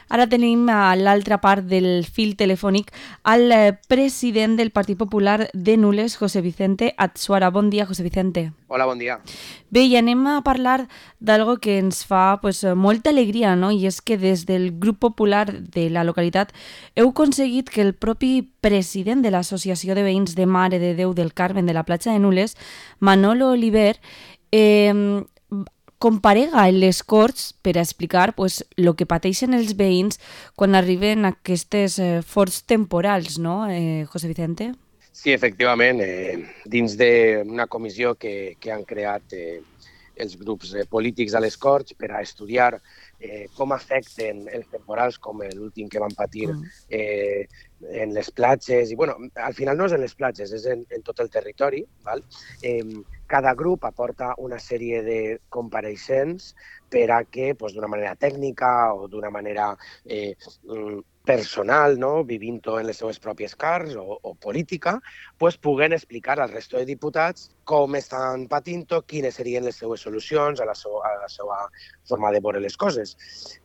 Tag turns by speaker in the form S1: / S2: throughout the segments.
S1: Ara tenim a l'altra part del fil telefònic al president del Partit Popular de Nules, José Vicente Atsuara. Bon dia, José Vicente.
S2: Hola, bon dia.
S1: Bé, i anem a parlar d'algo que ens fa molta alegria, no? I és que des del grup popular de la localitat heu aconseguit que el propi president de l'Associació de Veïns de Mare de Déu del Carmen de la platja de Nules, Manolo Oliver, comparega en les Corts per a explicar el que pateixen els veïns quan arriben aquestes forts temporals, no, José Vicente?
S2: Sí, efectivament, dins d'una comissió que han creat els grups polítics a les Corts per a estudiar com afecten els temporals com l'últim que van patir en les platges. I, bueno, al final no és en les platges, és en tot el territori. Val? Cada grup aporta una sèrie de compareixents per a que, d'una manera tècnica o d'una manera personal, no? Vivint-ho en les seues pròpies carns o política, puguen explicar al resto de diputats com estan patint-ho, quines serien les seues solucions a la seva forma de veure les coses.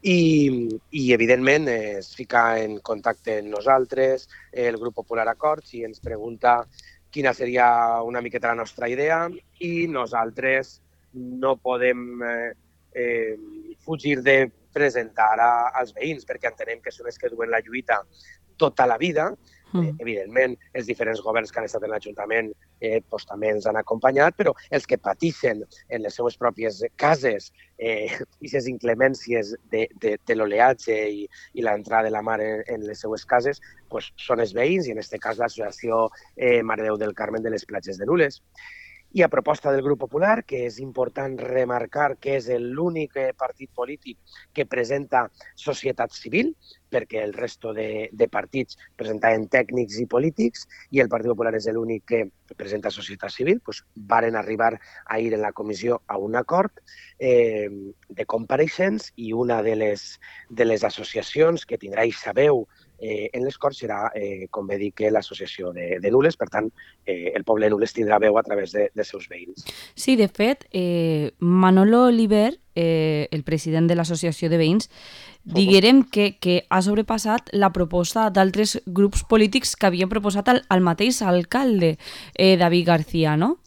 S2: I evidentment, es fica en contacte amb nosaltres, el Grup Popular Acords, i ens pregunta quina seria una miqueta la nostra idea, i nosaltres no podem fugir de presentar als veïns, perquè entenem que són els que duen la lluita tota la vida. Evidentment, els diferents governs que han estat en l'Ajuntament també ens han acompanyat, però els que pateixen en les seues pròpies cases aquestes inclemències de l'oleatge i l'entrada de la mar en les seues cases són els veïns, i en aquest cas l'Associació Mare de Déu del Carmen de les platges de Nules. I a proposta del Grup Popular, que és important remarcar que és l'únic partit polític que presenta societat civil, perquè el resto de partits presentaven tècnics i polítics, i el Partit Popular és l'únic que presenta societat civil, varen arribar ahir en la comissió a un acord de compareixents, i una de les associacions que tindrà aquesta veu en les Corts serà, com bé dic, l'associació de Nules. Per tant, el poble de Nules tindrà veu a través dels seus veïns.
S1: Sí, de fet, Manolo Oliver, el president de l'Associació de Veïns, diguérem que ha sobrepassat la proposta d'altres grups polítics que havien proposat al mateix alcalde, David García, no?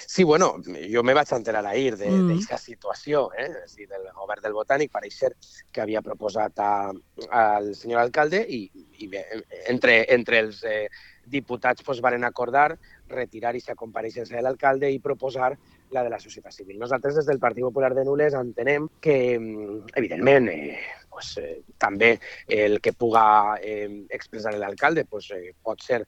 S2: Sí, bueno, jo me vaig enterar ahir d'aquesta situació, és a dir, del govern del Botànic. Pareix ser que havia proposat al senyor alcalde, i bé, entre els diputats varen acordar retirar aquesta compareixença de l'alcalde i proposar la de la societat civil. Nosaltres, des del Partit Popular de Nules, entenem que, evidentment, també el que puga expressar l'alcalde pot ser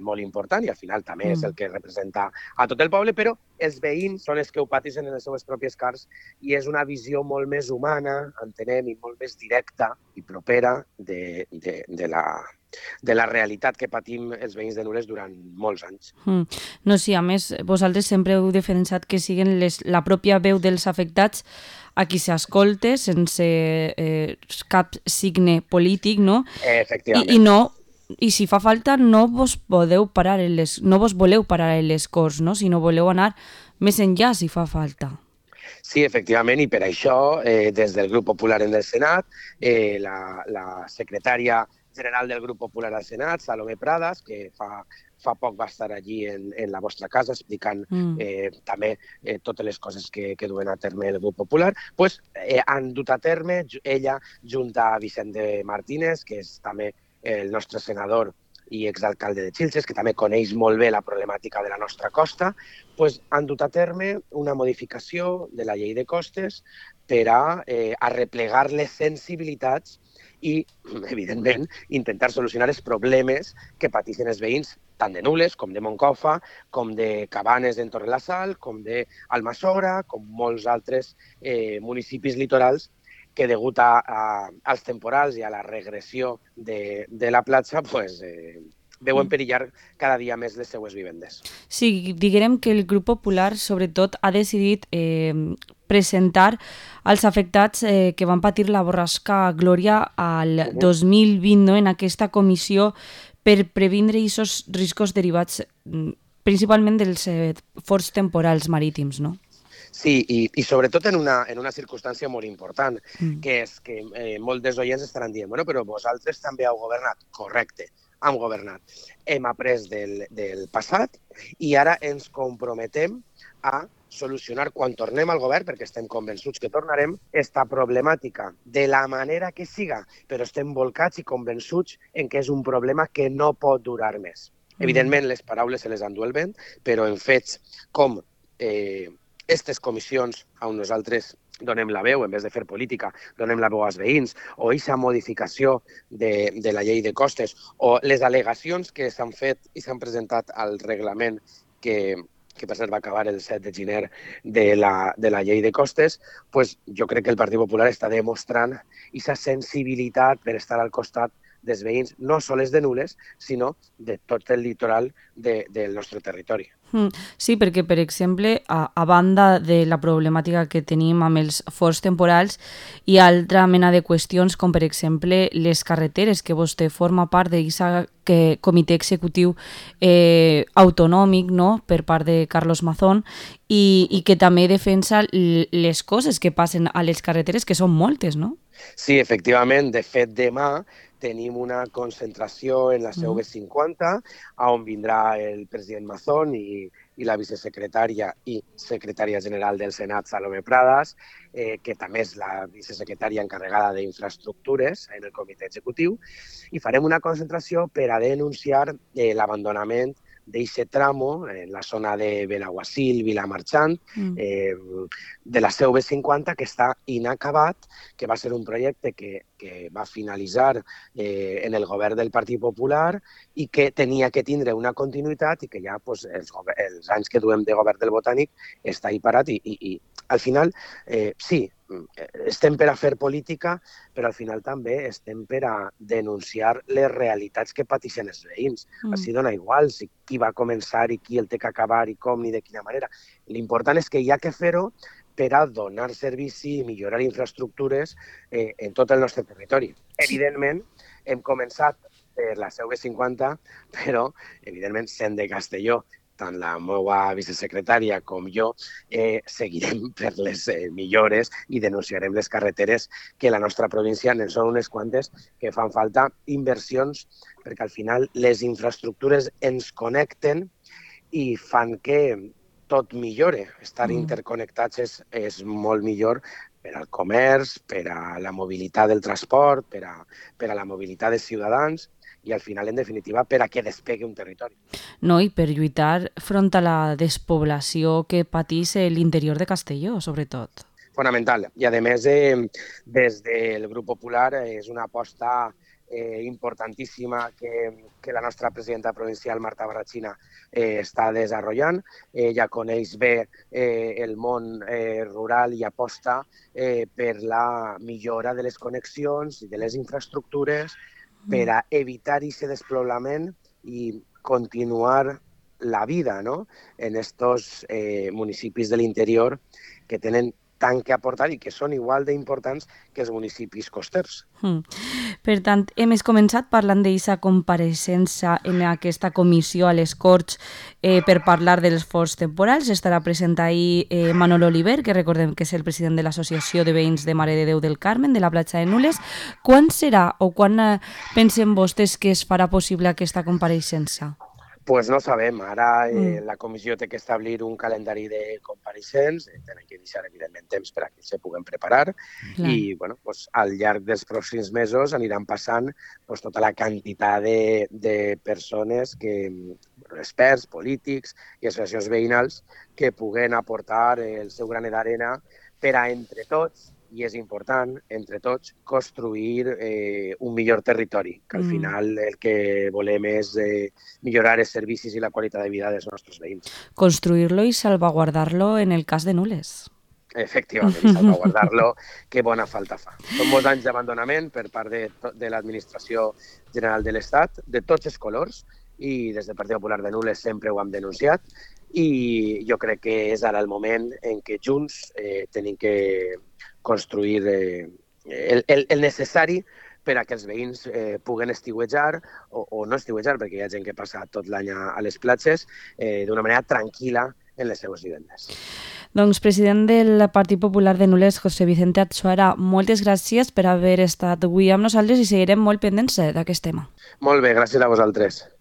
S2: molt important, i al final també és el que representa a tot el poble, però els veïns són els que ho pateixen en les seves pròpies carns, i és una visió molt més humana, entenem, i molt més directa i propera de la realitat que patim els veïns de Nules durant molts anys.
S1: No, sí, a més, vosaltres sempre heu defensat que siguin la pròpia veu dels afectats a qui s'escolte sense cap signe polític, no?
S2: Efectivament.
S1: I si fa falta no vos voleu parar en les Corts, no? Sinó voleu anar més enllà si fa falta.
S2: Sí, efectivament, i per això, des del Grup Popular en el Senat, la secretària general del Grup Popular al Senat, Salomé Pradas, que fa poc va estar allí en la vostra casa explicant també totes les coses que duen a terme el Grup Popular, han dut a terme, ella, junt a Vicente Martínez, que és també el nostre senador i exalcalde de Xilxes, que també coneix molt bé la problemàtica de la nostra costa, han dut a terme una modificació de la llei de costes per a arreplegar les sensibilitats i, evidentment, intentar solucionar els problemes que pateixen els veïns, tant de Nules, com de Moncofa, com de Cabanes en Torrelasal, com d'Almassora, com molts altres municipis litorals que, degut als temporals i a la regressió de la platja, veuen perillar cada dia més les seues vivendes.
S1: Sí, diguem que el Grup Popular, sobretot, ha decidit presentar als afectats que van patir la borrasca Glòria al 2020, no? En aquesta comissió per previndre aquests riscos derivats principalment dels forts temporals marítims, no?
S2: Sí, i sobretot en una circumstància molt important,
S1: Mm.
S2: que és que molts dels oients estaran dient, bueno, però vosaltres també heu governat. Correcte, hem governat. Hem après del passat i ara ens comprometem a solucionar quan tornem al govern, perquè estem convençuts que tornarem, esta problemàtica de la manera que siga, però estem volcats i convençuts en que és un problema que no pot durar més. Evidentment, les paraules se les endú el vent, però en fets com aquestes comissions on nosaltres donem la veu, en vez de fer política, donem la veu als veïns, o aquesta modificació de la llei de costes, o les al·legacions que s'han fet i s'han presentat al reglament que per cert va acabar el 7 de gener de la llei de costes, pues jo crec que el Partit Popular està demostrant aquesta sensibilitat per estar al costat dels veïns, no sols de Nules, sinó de tot el litoral del nostre territori.
S1: Sí, perquè, per exemple, a banda de la problemàtica que tenim amb els forts temporals, hi ha altra mena de qüestions, com per exemple les carreteres, que vostè forma part d'aquest comitè executiu autonòmic, no?, per part de Carlos Mazón, i que també defensa les coses que passen a les carreteres, que són moltes, no?
S2: Sí, efectivament. De fet, demà tenim una concentració en la seu B50, on vindrà el president Mazón i la vicesecretària i secretària general del Senat, Salomé Pradas, que també és la vicesecretària encarregada d'Infraestructures en el comitè executiu, i farem una concentració per a denunciar l'abandonament d'aquest tramo, en la zona de Benaguasil, Vilamarxant, de la seu B50, que està inacabat, que va ser un projecte que va finalitzar en el govern del Partit Popular i que tenia que tindre una continuïtat i que ja pues, els anys que duem de govern del Botànic està ahí parat i al final sí, estem per a fer política, però al final també estem per a denunciar les realitats que pateixen els veïns. Així dona igual si qui va començar i qui el té que acabar i com ni de quina manera. L'important és que hi ha que fer-ho per a donar servici i millorar infraestructures en tot el nostre territori. Evidentment, hem començat per la seu B50, però, evidentment, sent de Castelló, tant la meva vicesecretària com jo, seguirem per les millores i denunciarem les carreteres que la nostra província en són unes quantes que fan falta inversions perquè al final les infraestructures ens connecten i fan que tot millore. Estar interconnectats és molt millor per al comerç, per a la mobilitat del transport, per a la mobilitat dels ciutadans i al final, en definitiva, per a que despegui un territori.
S1: No, i per lluitar front a la despoblació que patís l'interior de Castelló, sobretot.
S2: Fonamental. I, a més, des del Grup Popular és una aposta importantíssima que la nostra presidenta provincial, Marta Barrachina, està desenvolupant. Ella coneix bé el món rural i aposta per la millora de les connexions i de les infraestructures per a evitar aquest despoblament i continuar la vida, ¿no?, en estos municipis de l'interior que tenen tant que aportar i que són igual d'importants que els municipis costers.
S1: Per tant, hem començat parlant d'aquesta compareixença en aquesta comissió a les Corts per parlar dels forts temporals. Estarà present ahir Manolo Oliver, que recordem que és el president de l'Associació de Veïns de Mare de Déu del Carmen, de la platja de Nules. Quan serà o quan pensen vostès que es farà possible aquesta compareixença?
S2: Pues no sabem. Ara la comissió té que establir un calendari de compareixents, tenen que deixar, evidentment, temps per a que se puguen preparar i bueno, pues, al llarg dels pròxims mesos aniran passant pues, tota la quantitat de persones, experts, polítics i associacions veïnals que puguen aportar el seu granet d'arena per a, entre tots, i és important, entre tots, construir un millor territori, que al final el que volem és millorar els servicis i la qualitat de vida dels nostres veïns.
S1: Construir-lo i salvaguardar-lo en el cas de Nules.
S2: Efectivament, i salvaguardar-lo, que bona falta fa. Són molts anys d'abandonament per part de l'Administració General de l'Estat, de tots els colors, i des del Partit Popular de Nules sempre ho hem denunciat, i jo crec que és ara el moment en què junts tenim que construir el necessari per a que els veïns puguen estiuejar o no estiuejar, perquè hi ha gent que passa tot l'any a les platges, d'una manera tranquil·la en les seues vivendes.
S1: Doncs, president del Partit Popular de Nules, José Vicente Atsuara, moltes gràcies per haver estat avui amb nosaltres i seguirem molt pendents d'aquest tema.
S2: Molt bé, gràcies a vosaltres.